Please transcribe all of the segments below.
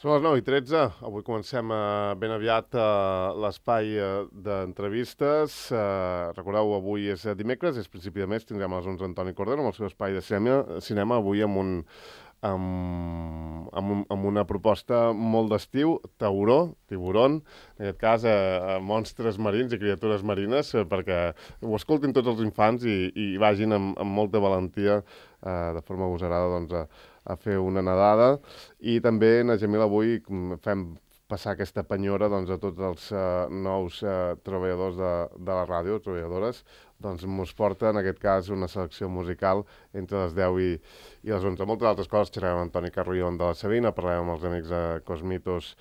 Són les 9:13. Avui comencem ben aviat l'espai d'entrevistes. Recordeu, avui és dimecres, és principi de mes, tindrem a les 11 Antoni Cordero amb el seu espai de cinema avui amb una proposta molt d'estiu, tiburon, en aquest cas monstres marins i criatures marines, perquè ho escoltin tots els infants i vagin amb molta valentia, de forma agosarada, doncs, a fer una nedada. I també, na Gemil, avui fem passar aquesta penyora a tots els nous treballadors de la ràdio, treballadores, doncs mos porta, en aquest cas, una selecció musical entre les 10 i les 11. Moltes altres coses, xerrem amb Antoni Carrion de la Sabina, parlem amb els amics de Cosmitos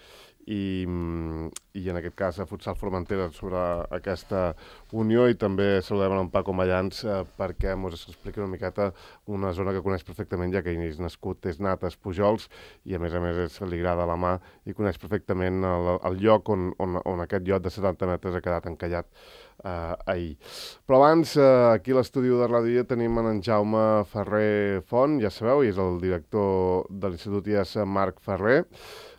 i en aquest cas a Futsal Formentera sobre aquesta unió, i també saludem en Paco Mallans perquè ens expliqui una miqueta una zona que coneix perfectament, ja que ell és nascut, és nat a Espujols i a més li agrada la mà i coneix perfectament el lloc on aquest lloc de 70 metres ha quedat encallat ahir. Però abans, aquí a l'estudi de Ràdio tenim en Jaume Ferrer Font, ja sabeu, i és el director de l'Institut IES Marc Ferrer.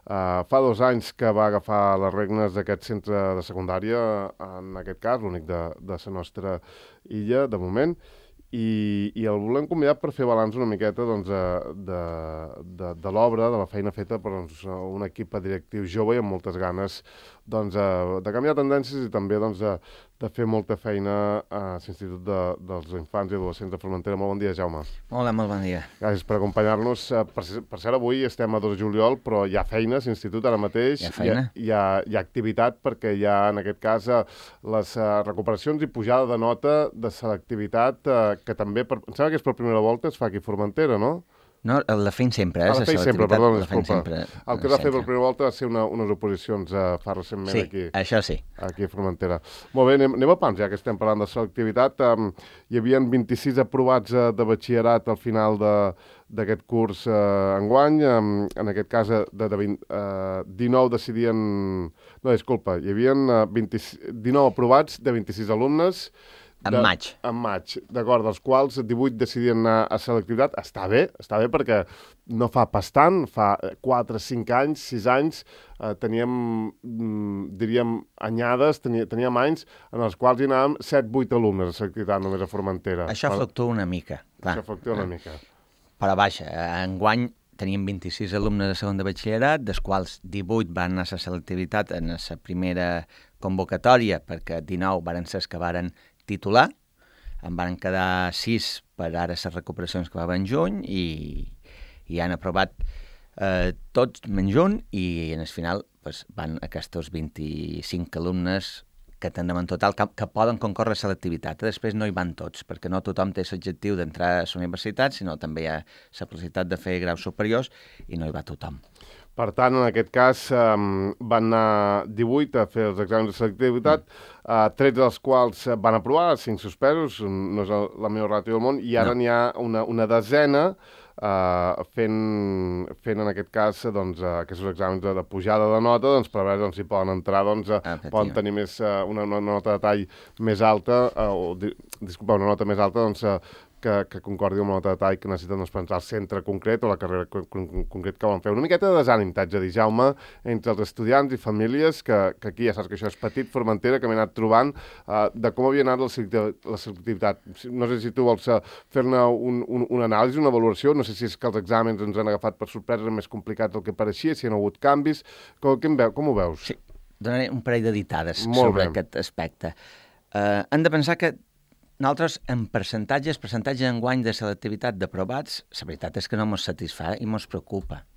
Fa 2 anys que va agafar les regnes d'aquest centre de secundària, en aquest cas, l'únic de la nostra illa, de moment, i el volem convidar per fer balanç una miqueta de l'obra, de la feina feta per un equip directiu jove i amb moltes ganes de canviar tendències i també de fer molta feina a l'Institut dels Infants i Adolescents de Formentera. Molt bon dia, Jaume. Hola, molt bon dia. Gràcies per acompanyar-nos. Per cert, avui estem a 2 de juliol, però hi ha feina a l'Institut ara mateix. Hi ha feina? Hi ha activitat perquè hi ha, en aquest cas, les recuperacions i pujada de nota de selectivitat que també, em sembla que és per primera volta, es fa aquí a Formentera, no? No, la feim sempre, la feim sempre, perdó, disculpa. Sempre, el que va fer per primera volta va ser unes oposicions fa recentment aquí. Sí, això sí. Aquí a Formentera. Molt bé, anem a pams, ja que estem parlant de selectivitat. Hi havia 26 aprovats de batxillerat al final d'aquest curs enguany. En aquest cas, de 19 decidien... No, disculpa, hi havia 19 aprovats de 26 alumnes. En maig. En maig, d'acord, dels quals 18 decidien anar a selectivitat. Està bé perquè no fa pas tant, fa 4, 5 anys, 6 anys, teníem, diríem, anyades, teníem anys en els quals hi anàvem 7-8 alumnes a selectivitat només a Formentera. Això fluctua una mica. Clar. Això fluctua una mica. Però vaja, enguany teníem 26 alumnes de segon de batxillerat, dels quals 18 van anar a la selectivitat en la primera convocatòria, perquè 19 varen ser els que varen titular, en van quedar 6 per ara les recuperacions que va haver en juny i han aprovat tots menys un, i en el final van aquests 25 alumnes que tindrem en total que poden concórrer a selectivitat. Després no hi van tots, perquè no tothom té l'objectiu d'entrar a la universitat, sinó també hi ha la possibilitat de fer graus superiors i no hi va tothom. Per tant, en aquest cas, van anar 18 a fer els exàmens de selectivitat, 13 dels quals van aprovar, 5 suspesos, no és la millor ràtio del món, i ara n'hi ha una desena fent en aquest cas aquests exàmens de pujada de nota per veure si poden entrar, poden tenir una nota de tall més alta, una nota més alta que concordi amb la nota de tall que necessiten per entrar al centre concret o la carrera concret que volen fer. Una miqueta de desànim, t'haig de dir, Jaume, entre els estudiants i famílies, que aquí ja saps que això és petit, Formentera, que m'he anat trobant, de com havia anat la selectivitat. No sé si tu vols fer-ne una anàlisi, una valoració, no sé si és que els exàmens ens han agafat per sorpresa, més complicats del que pareixia, si hi ha hagut canvis. Com ho veus? Sí, donaré un parell de ditades sobre aquest aspecte. Hem de pensar que nosaltres, en percentatge d'enguany de selectivitat d'aprovats, la veritat és que no ens satisfà i ens preocupa,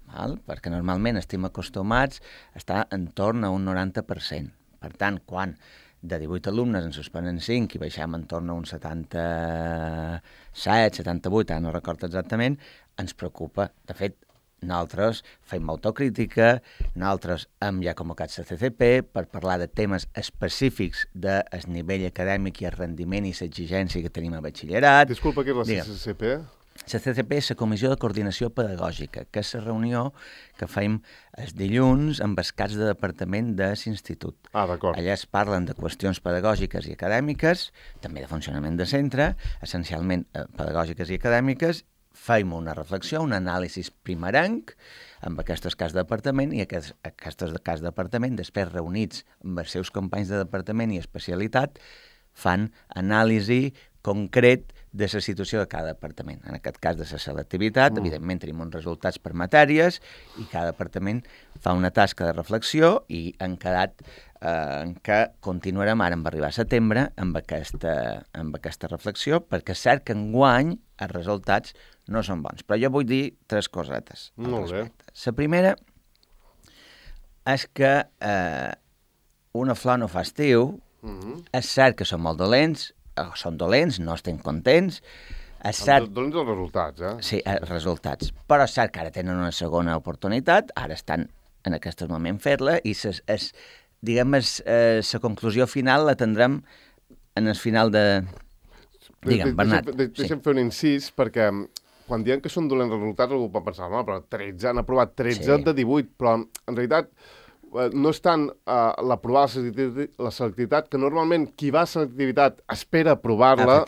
perquè normalment estem acostumats a estar en torn a un 90%. Per tant, quan de 18 alumnes en suspenen 5 i baixem en torn a un 77, 78, ara no recordo exactament, ens preocupa. De fet, nosaltres fem autocrítica, nosaltres hem ja convocat la CCP per parlar de temes específics del nivell acadèmic i el rendiment i l'exigència que tenim a batxillerat. Disculpa, què és la CCP? La CCP és la Comissió de Coordinació Pedagògica, que és la reunió que fem els dilluns amb els caps de departament de l'institut. D'acord. Allà es parlen de qüestions pedagògiques i acadèmiques, també de funcionament de centre, essencialment pedagògiques i acadèmiques, feim una reflexió, un anàlisi primerenc amb aquests cas de departament i aquests cas de departament, després reunits amb els seus companys de departament i especialitat, fan anàlisi concret de la situació de cada departament. En aquest cas de la selectivitat, evidentment tenim uns resultats per matèries i cada departament fa una tasca de reflexió i han quedat en què continuarem ara en arribar a setembre amb aquesta reflexió, perquè és cert que enguany els resultats no són bons. Però jo vull dir 3 cosetes al respecte. La primera és que una flor no fa estiu. És cert que són molt dolents, són dolents, no estem contents. Dolents els resultats, Sí, els resultats. Però és cert que ara tenen una segona oportunitat, ara estan en aquest moment fer-la, i la conclusió final la tindrem en el final de... Digue'm, Bernat. Deixa'm fer un incís, perquè quan diuen que són dolents resultats, algú pot pensar, no, però 13, han aprovat 13 de 18, però en realitat no és tant l'aprovar la selectivitat, que normalment qui va a selectivitat espera aprovar-la,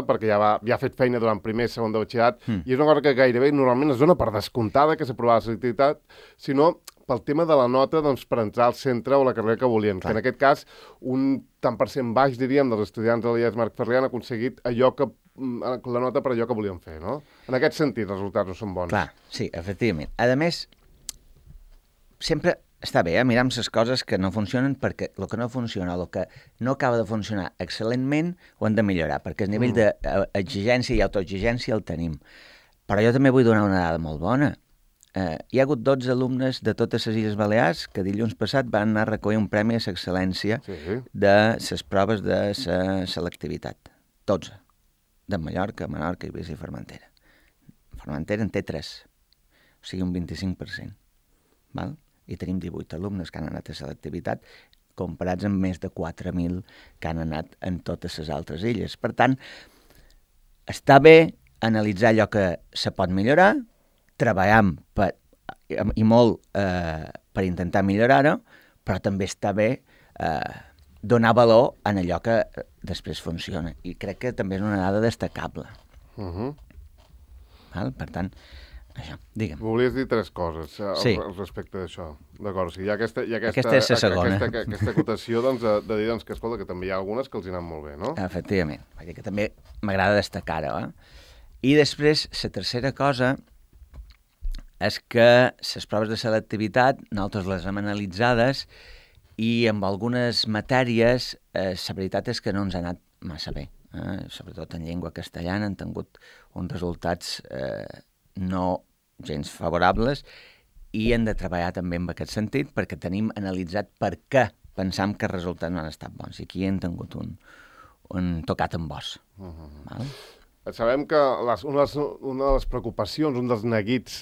perquè ja ha fet feina durant primer i segon de batxillerat, i és una cosa que gairebé normalment es dona per descomptada que s'aprova la selectivitat, sinó pel tema de la nota per entrar al centre o la carrera que volien, que en aquest cas un tant per cent baix, diríem, dels estudiants de l'IES Marc Ferrer han aconseguit la nota per allò que volien fer, no? En aquest sentit, els resultats no són bons. Clar, sí, efectivament. A més, sempre està bé mirar amb les coses que no funcionen, perquè el que no funciona, el que no acaba de funcionar excel·lentment, ho hem de millorar, perquè el nivell d'exigència i autoexigència el tenim. Però jo també vull donar una dada molt bona. Hi ha hagut 12 alumnes de totes les Illes Balears que dilluns passat van anar a recollir un premi a l'excel·lència de les proves de la selectivitat. 12. De Mallorca, Menorca, Eivissa i Formentera. Formentera en té 3, o sigui un 25%. Val? I tenim 18 alumnes que han anat a selectivitat, comparats amb més de 4.000 que han anat en totes les altres illes. Per tant, està bé analitzar allò que se pot millorar, treballam i molt per intentar millorar-ho, però també està bé donar valor en allò que després funciona. I crec que també és una dada destacable. Val? Per tant, això, digue'm. Volies dir 3 coses respecte d'això. D'acord, o sigui, hi ha aquesta és la segona. Aquesta acotació de dir que, escolta, que també hi ha algunes que els hi han molt bé, no? Efectivament, perquè també m'agrada destacar-ho. I després, la tercera cosa és que les proves de selectivitat nosaltres les hem analitzades i amb algunes matèries la veritat és que no ens ha anat massa bé. Sobretot en llengua castellana han tingut uns resultats no gens favorables i hem de treballar també en aquest sentit perquè tenim analitzat per què pensam que els resultats no han estat bons i aquí hem tingut un tocat amb os. Val? Sabem que una de les preocupacions, un dels neguits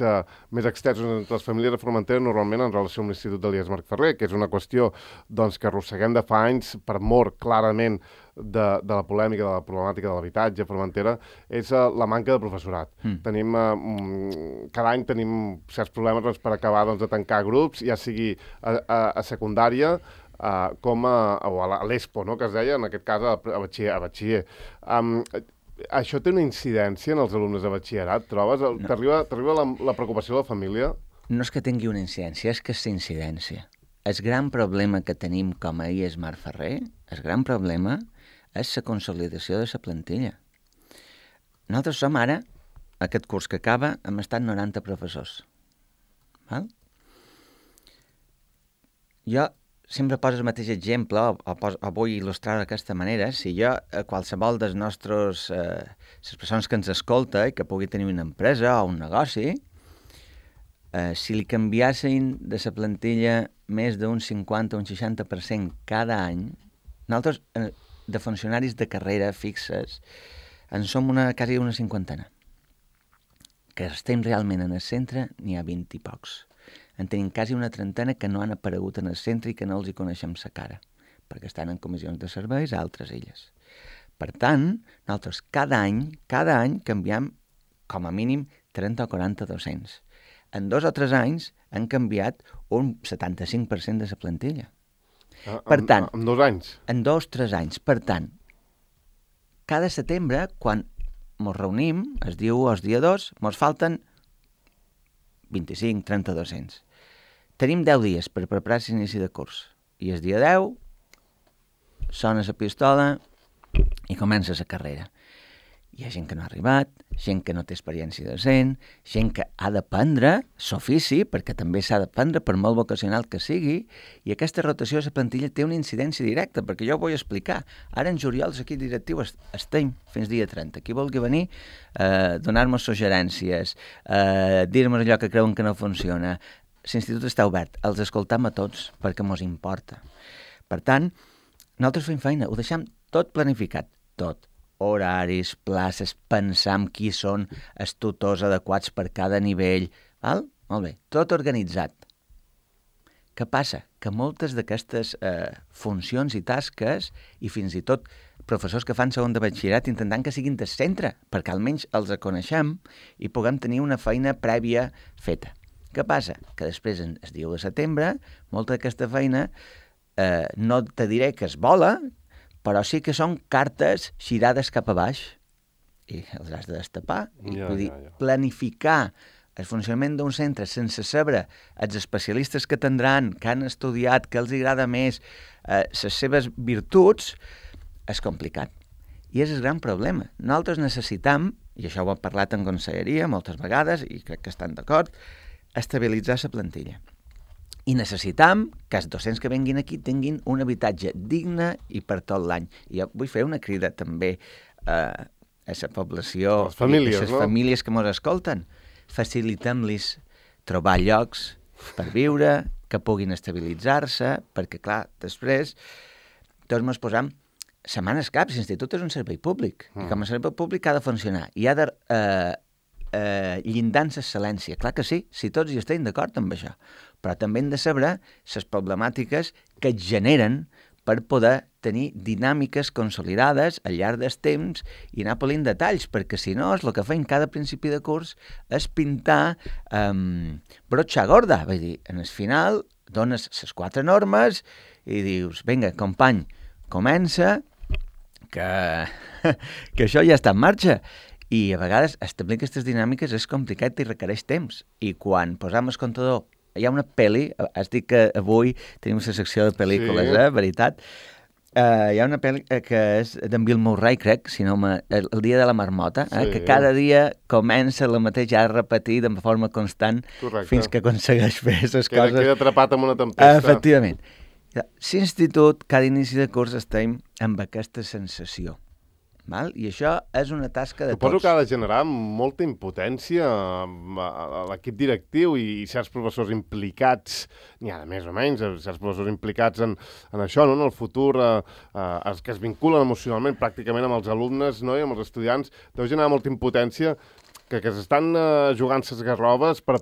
més extensos entre les famílies de Formentera normalment en relació amb l'Institut de l'IES Marc Ferrer, que és una qüestió que arrosseguem de fa anys per mort clarament de la polèmica, de la problemàtica de l'habitatge a Formentera, és la manca de professorat. Cada any tenim certs problemes per acabar de tancar grups, ja sigui a secundària, com a l'ESPO, no?, que es deia, en aquest cas a batxiller. Això té una incidència en els alumnes de batxillerat, trobes? T'arriba la preocupació de la família? No és que tingui una incidència, és que és incidència. El gran problema que tenim com a IES Marc Ferrer, el gran problema és la consolidació de la plantilla. Nosaltres som ara, aquest curs que acaba, hem estat 90 professors. Val? Jo sempre poso el mateix exemple, o vull il·lustrar d'aquesta manera. Si jo, qualsevol dels nostres, les persones que ens escolta i que pugui tenir una empresa o un negoci, si li canviassin de la plantilla més d'un 50 o un 60% cada any, nosaltres, de funcionaris de carrera fixes, en som quasi una cinquantena. Que estem realment en el centre, n'hi ha 20 i pocs. En tenim quasi una trentena que no han aparegut en el centre i que no els hi coneixem la cara, perquè estan en comissions de serveis a altres illes. Per tant, nosaltres cada any canviem com a mínim 30 o 40 docents. En 2 o 3 anys han canviat un 75% de la plantilla. Per tant, en 2 anys? En 2 o 3 anys. Per tant, cada setembre, quan mos reunim, es diu el dia 2, mos falten 25, 30 docents. Tenim 10 dies per preparar l'inici de curs. I el dia 10 sona la pistola i comença la carrera. Hi ha gent que no ha arribat, gent que no té experiència docent, gent que ha d'aprendre l'ofici, perquè també s'ha d'aprendre per molt vocacional que sigui, i aquesta rotació de la plantilla té una incidència directa, perquè jo ho vull explicar. Ara en juliol l'equip directiu estem fins dia 30. Qui vulgui venir, donar-nos suggerències, dir-nos allò que creuen que no funciona. L'institut està obert, els escoltam a tots, perquè mos importa. Per tant, nosaltres fem feina, ho deixem tot planificat, tot. Horaris, places, pensar en qui són els tutors adequats per cada nivell. Val? Molt bé, tot organitzat. Què passa? Que moltes d'aquestes funcions i tasques, i fins i tot professors que fan segon de batxillerat intentant que siguin del centre, perquè almenys els coneixem i puguem tenir una feina prèvia feta. Què passa? Que després, el 10 de setembre, molta d'aquesta feina no te diré que es vola, però sí que són cartes girades cap a baix i els has de destapar. Vull dir, planificar el funcionament d'un centre sense saber els especialistes que tindran, que han estudiat, que els agrada més, les seves virtuts, és complicat. I és el gran problema. Nosaltres necessitem, i això ho hem parlat en conselleria moltes vegades, i crec que estan d'acord, estabilitzar la plantilla. I necessitam que els docents que venguin aquí tinguin un habitatge digne i per tot l'any. I jo vull fer una crida també a la població, les famílies, a les famílies que ens escolten. Facilitem-los trobar llocs per viure, que puguin estabilitzar-se, perquè, clar, després tots ens posam setmanes cap. L'institut és un servei públic, i com a servei públic ha de funcionar. I ha de llindar l'excel·lència. Clar que sí, si tots hi estem d'acord amb això. Però també hem de saber les problemàtiques que es generen per poder tenir dinàmiques consolidades al llarg del temps i anar polint detalls, perquè si no, el que fem cada principi de curs és pintar brotxa gorda. Vull dir, en el final dones les 4 normes i dius, vinga, company, comença, que això ja està en marxa. I a vegades establir aquestes dinàmiques és complicat i requereix temps. I quan posam el comptador, hi ha una pel·li, has dit que avui tenim una secció de pel·lícules, sí. Veritat? Hi ha una pel·li que és d'en Bill Murray, crec, si no el dia de la marmota, sí. Que cada dia comença la mateixa a repetir de forma constant. Correcte. Fins que aconsegueix fer les coses. Queda atrapat amb una tempesta. Efectivament. L'institut, cada inici de curs estem amb aquesta sensació. Val? I això és una tasca de tots. Suposo que ha de generar molta impotència a l'equip directiu i certs professors implicats, n'hi ha de més o menys, certs professors implicats en això, no? En el futur, els que es vinculen emocionalment pràcticament amb els alumnes, no? I amb els estudiants, deu generar molta impotència que s'estan jugant ses garroves per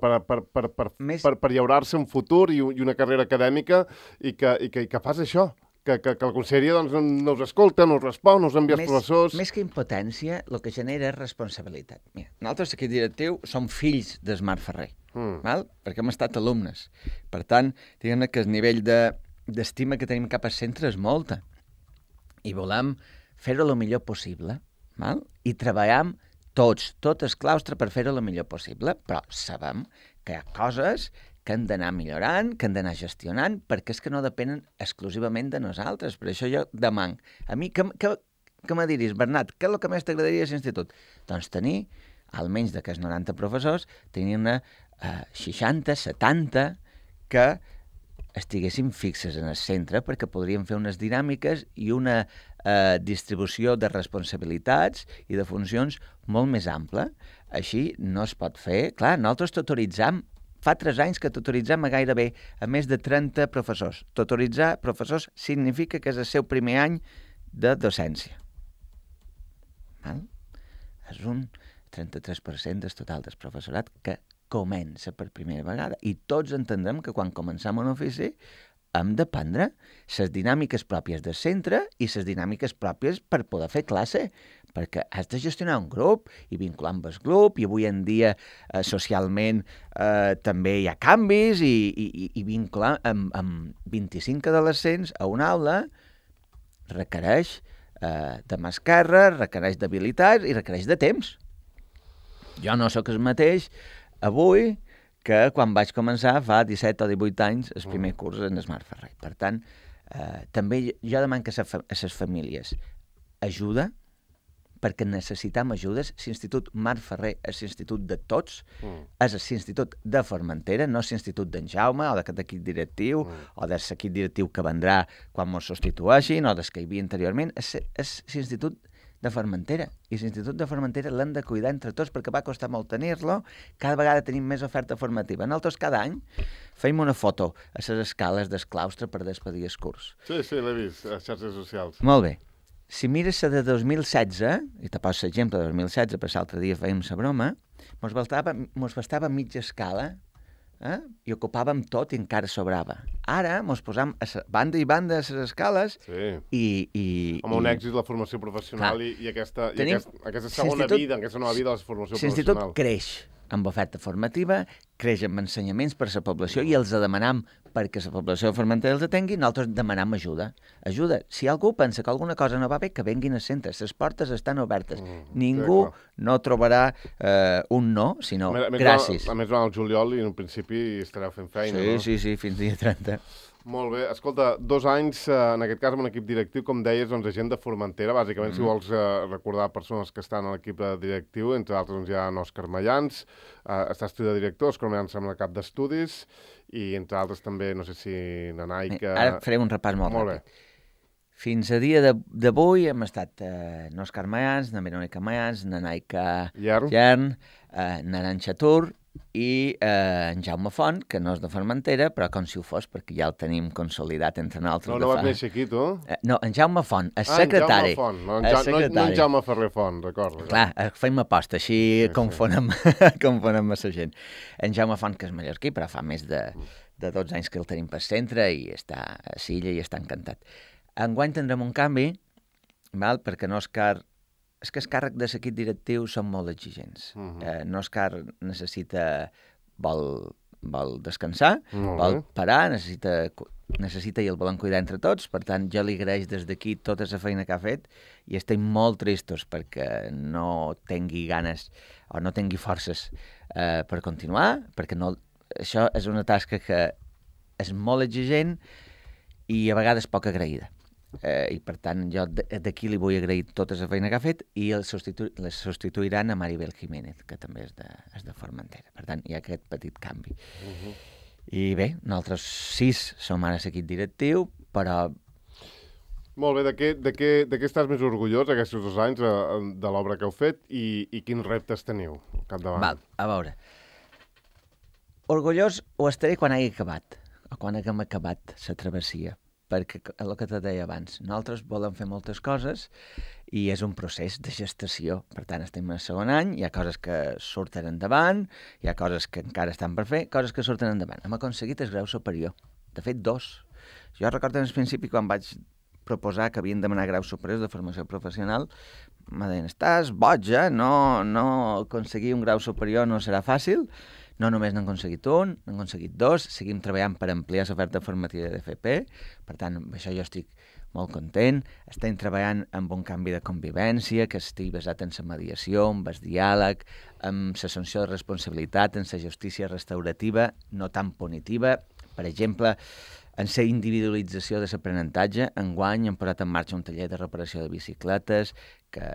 llaurar-se un futur i una carrera acadèmica i que fas això. Que la conselleria doncs, no us escolta, no us respon, no us envia els professors... Més que impotència, el que genera és responsabilitat. Mira, nosaltres, aquí directiu, som fills d'Esmar Ferrer, val? Perquè hem estat alumnes. Per tant, diguem-ne que el nivell d'estima que tenim cap al centre és molta. I volem fer-ho el millor possible, val? I treballem tots, tot el claustre per fer-ho el millor possible, però sabem que hi ha coses que hem d'anar millorant, que hem d'anar gestionant, perquè és que no depenen exclusivament de nosaltres. Per això jo demano. A mi, què me diris, Bernat, què és el que més t'agradaria a l'institut? Doncs tenir, almenys d'aquests 90 professors, tenir-ne 60, 70, que estiguessin fixes en el centre, perquè podríem fer unes dinàmiques i una distribució de responsabilitats i de funcions molt més ampla. Així no es pot fer. Clar, nosaltres tutoritzam. Fa 3 anys que tutoritzem a gairebé a més de 30 professors. Tutoritzar professors significa que és el seu primer any de docència. Val? És un 33% del total del professorat que comença per primera vegada. I tots entendrem que quan comencem un ofici hem d'aprendre les dinàmiques pròpies del centre i les dinàmiques pròpies per poder fer classe, perquè has de gestionar un grup i vincular amb el grup, i avui en dia socialment també hi ha canvis, i vincular amb 25 adolescents a una aula requereix de mà esquerra, requereix d'habilitats i requereix de temps. Jo no sóc el mateix avui que quan vaig començar fa 17 o 18 anys el primer curs en Smart Ferrer. Per tant, també jo demano a les famílies ajuda, perquè necessitem ajudes. L'Institut Marc Ferrer és l'institut de tots, és l'institut de Formentera, no és l'institut d'en Jaume o d'aquest equip directiu o de l'equip directiu que vendrà quan ens substitueixin o des que hi havia anteriorment. És l'institut de Formentera, i l'Institut de Formentera l'hem de cuidar entre tots perquè va costar molt tenir-lo. Cada vegada tenim més oferta formativa. Nosaltres cada any feim una foto a les escales del claustre per despedir el curs. Sí, l'he vist a xarxes socials. Molt bé. Si mires la de 2016, i te poso l'exemple de 2016, per l'altre dia fèiem la broma, mos bastava mitja escala, i ocupàvem tot i encara sobrava. Ara mos posam a banda i banda a les escales amb un èxit la formació professional i aquesta segona vida, aquesta nova vida de la formació professional. L'Institut creix amb oferta formativa, creix amb ensenyaments per a la població i els demanam perquè la població de Formentera els atengui, nosaltres demanam ajuda. Ajuda. Si algú pensa que alguna cosa no va bé, que venguin al centre. Les portes estan obertes. Ningú no trobarà un no, sinó gràcies. A més, va al juliol i en principi estareu fent feina, no? Sí, fins dia 30. Molt bé. Escolta, 2 anys, en aquest cas, amb un equip directiu, com deies, doncs, gent de Formentera. Bàsicament, si vols recordar persones que estan a l'equip directiu, entre altres doncs, hi ha Òscar Mayans, estàs tu de director, Òscar Mayans sembla cap d'estudis, i entre altres també, no sé si Nanaica... Ara faré un repàs molt ràpid. Fins a dia d'avui hem estat Òscar Mayans, na Verònica Mayans, Nanaica Llern, Naranxa Tur, i en Jaume Font, que no és de Formentera, però com si ho fos, perquè ja el tenim consolidat entre nosaltres. No vas néixer aquí, tu? No, en Jaume Font, el secretari. En Jaume Font, no en Jaume Ferrer Font, recordo. Clar, feim aposta, així confonem massa gent. En Jaume Font, que és mallorquí, però fa més de 12 anys que el tenim per centre i està a Silla i està encantat. Enguany tindrem un canvi, perquè Òscar... És que el càrrec de l'equip directiu són molt exigents. Òscar vol descansar, vol parar, necessita i el volem cuidar entre tots, per tant, jo li agraeix des d'aquí tota la feina que ha fet i estem molt tristos perquè no tingui ganes o no tingui forces per continuar, perquè això és una tasca que és molt exigent i a vegades poc agraïda. I per tant jo d'aquí li vull agrair tota la feina que ha fet i les substituiran a Maribel Jiménez, que també és de Formentera. Per tant, hi ha aquest petit canvi. I bé, nosaltres 6 som ara l'equip directiu, però... Molt bé, de què estàs més orgullós aquests 2 anys de l'obra que heu fet i quins reptes teniu al capdavant? A veure, orgullós ho estaré quan hagi acabat, o quan haguem acabat la travessia, perquè el que te deia abans, nosaltres volem fer moltes coses i és un procés de gestació. Per tant, estem en el segon any, hi ha coses que surten endavant, hi ha coses que encara estan per fer, coses que surten endavant. Hem aconseguit el grau superior, de fet 2. Jo recordo en el principi quan vaig proposar que havien de demanar graus superiors de formació professional, me deien, estàs boja, no aconseguir un grau superior no serà fàcil. No només n'han aconseguit un, n'han aconseguit 2, seguim treballant per ampliar l'oferta formativa d'FP, per tant, amb això jo estic molt content. Estem treballant amb un canvi de convivència que estigui basat en la mediació, en el diàleg, en l'assumpció de responsabilitat, en la justícia restaurativa, no tan punitiva. Per exemple, en la individualització de l'aprenentatge, enguany hem posat en marxa un taller de reparació de bicicletes que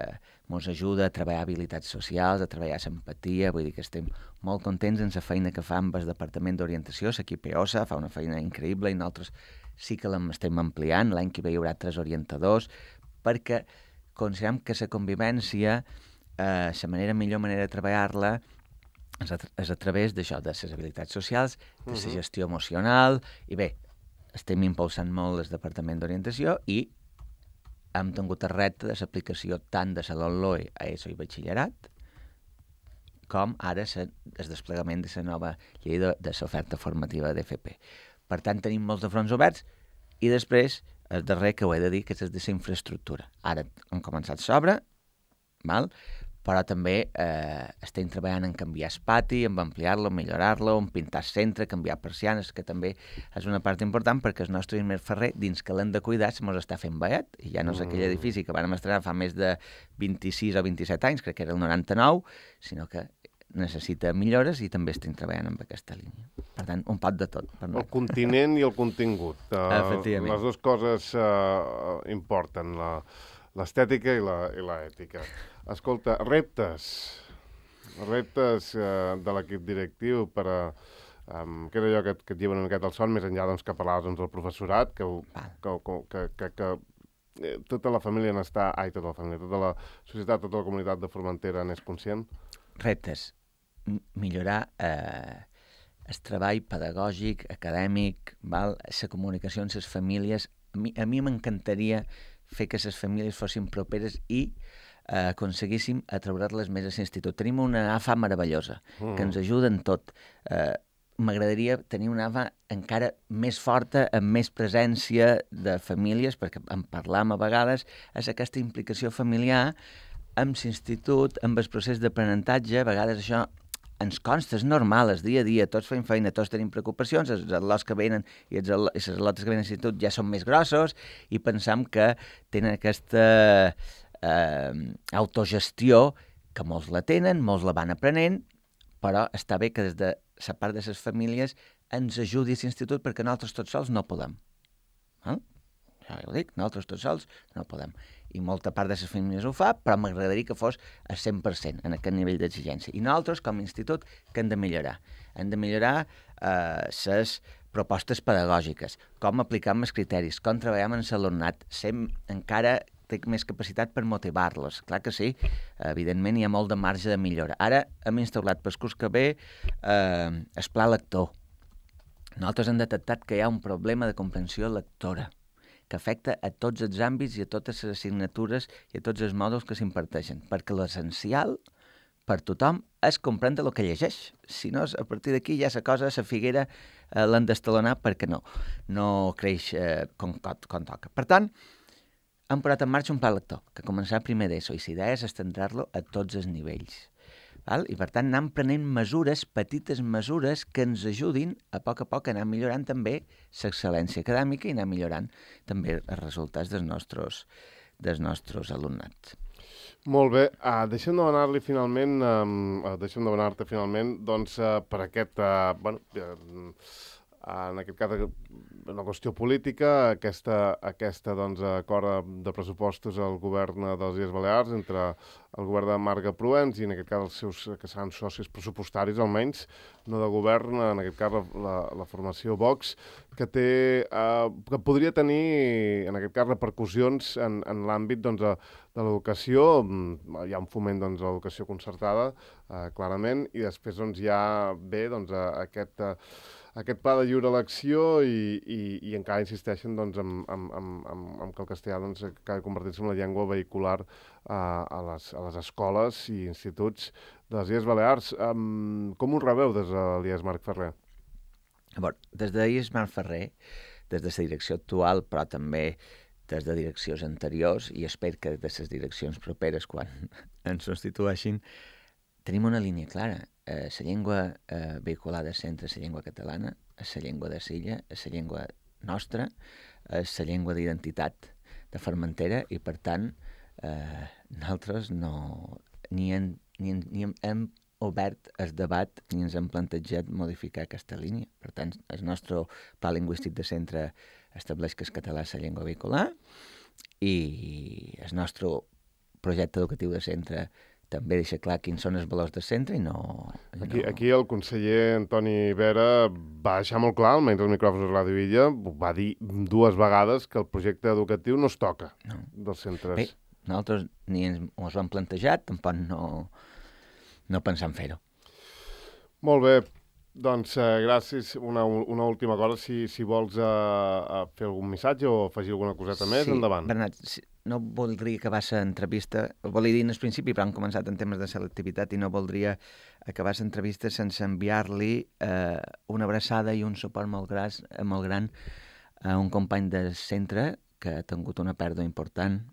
ens ajuda a treballar habilitats socials, a treballar l'empatia, vull dir que estem molt contents en la feina que fa amb el Departament d'Orientació, l'equip EOSA, fa una feina increïble i nosaltres sí que l'estem ampliant, l'any que ve hi haurà 3 orientadors, perquè considerem que la convivència, la millor manera de treballar-la és a través d'això, de les habilitats socials, de la gestió emocional, i bé, estem impulsant molt el Departament d'Orientació i hem tingut el repte de l'aplicació tant de la LOE a ESO i batxillerat com ara el desplegament de la nova llei de l'oferta formativa d'FP. Per tant, tenim molts de fronts oberts i després, el darrer que ho he de dir, que és de la infraestructura. Ara hem començat l'obra, però també estem treballant en canviar el pati, en ampliar-lo, millorar-lo, en pintar el centre, canviar persianes, que també és una part important perquè el nostre Ismer Ferrer, dins que l'hem de cuidar, se mos està fent veiet, i ja no és aquell edifici que vam estrenar fa més de 26 o 27 anys, crec que era el 99, sinó que necessita millores i també estem treballant amb aquesta línia. Per tant, un pot de tot. El continent i el contingut. Efectivament. Les dues coses importen, l'estètica i l'ètica. Escolta, reptes de l'equip directiu per a... que era allò que et lleva una miqueta el son, més enllà que parlaves del professorat, que tota la família n'està... tota la família, tota la societat, tota la comunitat de Formentera n'és conscient? Reptes. Millorar el treball pedagògic, acadèmic, la comunicació amb les famílies. A mi m'encantaria fer que les famílies fossin properes i aconseguíssim atraure-les més a l'institut. Tenim una AFA meravellosa, que ens ajuda en tot. M'agradaria tenir una AFA encara més forta, amb més presència de famílies, perquè en parlam a vegades, és aquesta implicació familiar amb l'institut, amb el procés d'aprenentatge. A vegades això ens consta, és normal, és dia a dia, tots fem feina, tots tenim preocupacions, els al·lots que venen i les al·lotes que venen a l'institut ja són més grossos i pensam que tenen aquesta autogestió, que molts la tenen, molts la van aprenent, però està bé que des de la part de les famílies ens ajudi a l'institut perquè nosaltres tots sols no podem. Ja ho dic, nosaltres tots sols no podem. I molta part de les famílies ho fa, però m'agradaria que fos al 100% en aquest nivell d'exigència. I nosaltres, com a institut, que hem de millorar? Hem de millorar les propostes pedagògiques, com aplicar els criteris, com treballar amb l'alumnat, encara té més capacitat per motivar-los. Clar que sí, evidentment hi ha molt de marge de millora. Ara hem instaurat pel curs que ve el pla lector. Nosaltres hem detectat que hi ha un problema de comprensió lectora que afecta a tots els àmbits i a totes les assignatures i a tots els mòduls que s'imparteixen, perquè l'essencial per tothom és comprendre el que llegeix. Si no, a partir d'aquí ja la cosa, la figuera, l'han d'estalonar perquè no creix com toca. Per tant, hem posat en marxa un pla lector, que començarà primer d'ESO, i la idea és estendre-lo a tots els nivells. Val? I per tant anem prenent mesures, petites mesures, que ens ajudin a poc anar millorant també l'excel·lència acadèmica i anar millorant també els resultats dels nostres alumnats. Molt bé. Deixem de demanar-te finalment doncs, per aquest... en aquest cas, una qüestió política, aquesta doncs, acord de pressupostos al govern de les Illes Balears entre el govern de Marga Proens i en aquest cas els seus, que seran socis pressupostaris almenys, no de govern, en aquest cas la formació Vox, que podria tenir en aquest cas repercussions en l'àmbit doncs, de l'educació. Hi ha un foment doncs, de l'educació concertada, clarament, i després doncs, hi ha bé doncs, aquest pla de lliure elecció i encara insisteixen doncs, en que el castellà doncs, acabi convertint-se en la llengua vehicular a les escoles i instituts de les Illes Balears. Com ho rebeu des de l'IES Marc Ferrer? Des de l'IES Marc Ferrer, des de la direcció actual, però també des de direccions anteriors, i espero que de les direccions properes, quan ens substitueixin, tenim una línia clara. La llengua vehicular del centre és la llengua catalana, és la llengua de l'illa, és la llengua nostra, és la llengua d'identitat de Formentera, i per tant nosaltres ni hem obert el debat ni ens hem plantejat modificar aquesta línia. Per tant, el nostre pla lingüístic de centre estableix que el català és la llengua vehicular i el nostre projecte educatiu de centre també deixa clar quins són els valors del centre i no... Aquí el conseller Antoni Vera va deixar molt clar, almenys els micròfons de Ràdio Illa, va dir 2 vegades que el projecte educatiu no es toca dels centres. Bé, nosaltres ni ens ho hem plantejat, tampoc no pensem fer-ho. Molt bé, doncs gràcies. Una última cosa, si vols fer algun missatge o afegir alguna coseta més, endavant. Bernat, no voldria acabar l'entrevista, ho volia dir en el principi, però hem començat en temes de selectivitat i no voldria acabar l'entrevista sense enviar-li una abraçada i un suport molt gran a un company del centre que ha tingut una pèrdua important,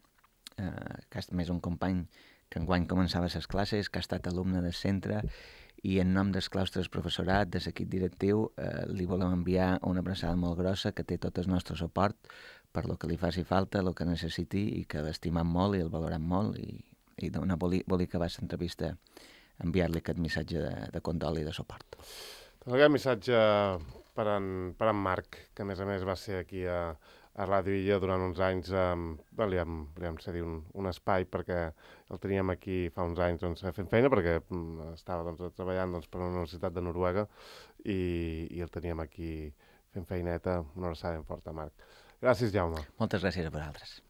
que és més un company que enguany començava les classes, que ha estat alumne del centre, i en nom dels claustres professorat, de l'equip directiu, li volem enviar una abraçada molt grossa, que té tot el nostre suport per lo que li faci falta, el que necessiti, i que l'estimam molt i el valorem molt, i volia acabar l'entrevista enviar-li aquest missatge de condol i de suport. Doncs aquest missatge per en Marc, que a més va ser aquí a Ràdio Illa durant uns anys, li vam cedir un espai perquè el teníem aquí fa uns anys fent feina, perquè estava treballant per la Universitat de Noruega i el teníem aquí fent feineta. Una abraçada ben forta, Marc. Gràcies, Jaume. Moltes gràcies a vosaltres.